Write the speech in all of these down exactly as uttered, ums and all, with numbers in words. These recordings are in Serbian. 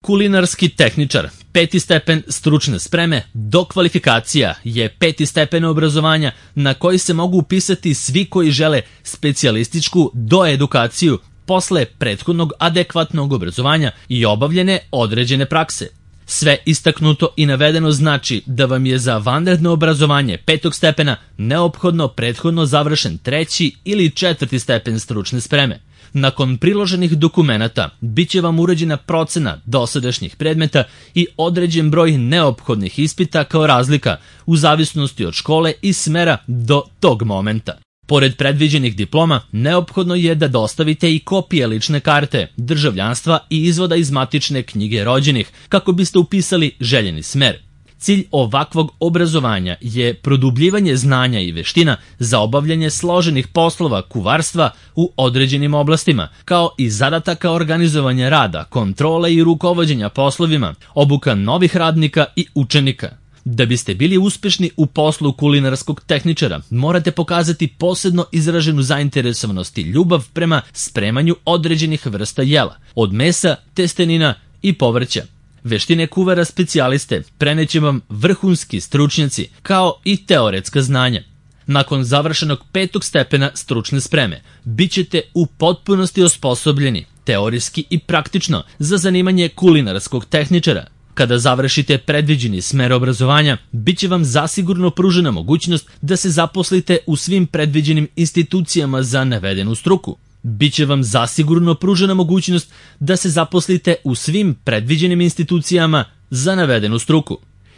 Kulinarski tehničar, peti stepen stručne spreme, dokvalifikacija je peti stepen obrazovanja na koji se mogu upisati svi koji žele specijalističku doedukaciju posle prethodnog adekvatnog obrazovanja i obavljene određene prakse. Sve istaknuto i navedeno znači da vam je za vanredno obrazovanje petog stepena neophodno prethodno završen treći ili četvrti stepen stručne spreme. Nakon priloženih dokumenata bit će vam urađena procena dosadašnjih predmeta i određen broj neophodnih ispita kao razlika u zavisnosti od škole i smera do tog momenta. Pored predviđenih diploma, neophodno je da dostavite i kopije lične karte, državljanstva i izvoda iz matične knjige rođenih kako biste upisali željeni smer. Cilj ovakvog obrazovanja je produbljivanje znanja i veština za obavljanje složenih poslova kuvarstva u određenim oblastima, kao i zadataka organizovanja rada, kontrole i rukovođenja poslovima, obuka novih radnika i učenika. Da biste bili uspešni u poslu kulinarskog tehničara, morate pokazati posebno izraženu zainteresovanost i ljubav prema spremanju određenih vrsta jela, od mesa, testenina i povrća. Veštine kuvara specijaliste preneće vam vrhunski stručnjaci, kao i teoretska znanja. Nakon završenog petog stepena stručne spreme, bit ćete u potpunosti osposobljeni, teorijski i praktično, za zanimanje kulinarskog tehničara. Kada završite predviđeni smer obrazovanja, bit će vam zasigurno pružena mogućnost da se zaposlite u svim predviđenim institucijama za navedenu struku. Biće vam zasigurno pružena mogućnost da se zaposlite u svim predviđenim institucijama za navedenu struku.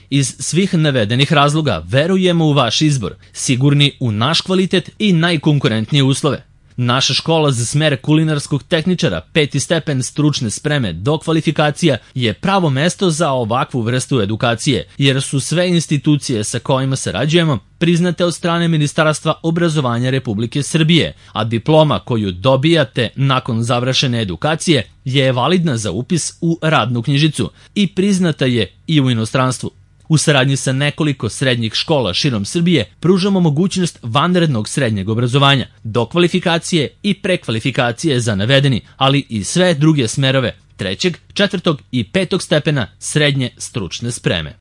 Iz svih navedenih razloga verujemo u vaš izbor, sigurni u naš kvalitet i najkonkurentnije uslove. Naša škola za smer kulinarskog tehničara, peti stepen stručne spreme dokvalifikacija, je pravo mesto za ovakvu vrstu edukacije, jer su sve institucije sa kojima sarađujemo priznate od strane Ministarstva obrazovanja Republike Srbije, a diploma koju dobijate nakon završene edukacije je validna za upis u radnu knjižicu i priznata je i u inostranstvu. U saradnji sa nekoliko srednjih škola širom Srbije pružamo mogućnost vanrednog srednjeg obrazovanja, dokvalifikacije i prekvalifikacije za navedeni, ali i sve druge smerove trećeg, četvrtog i petog stepena srednje stručne spreme.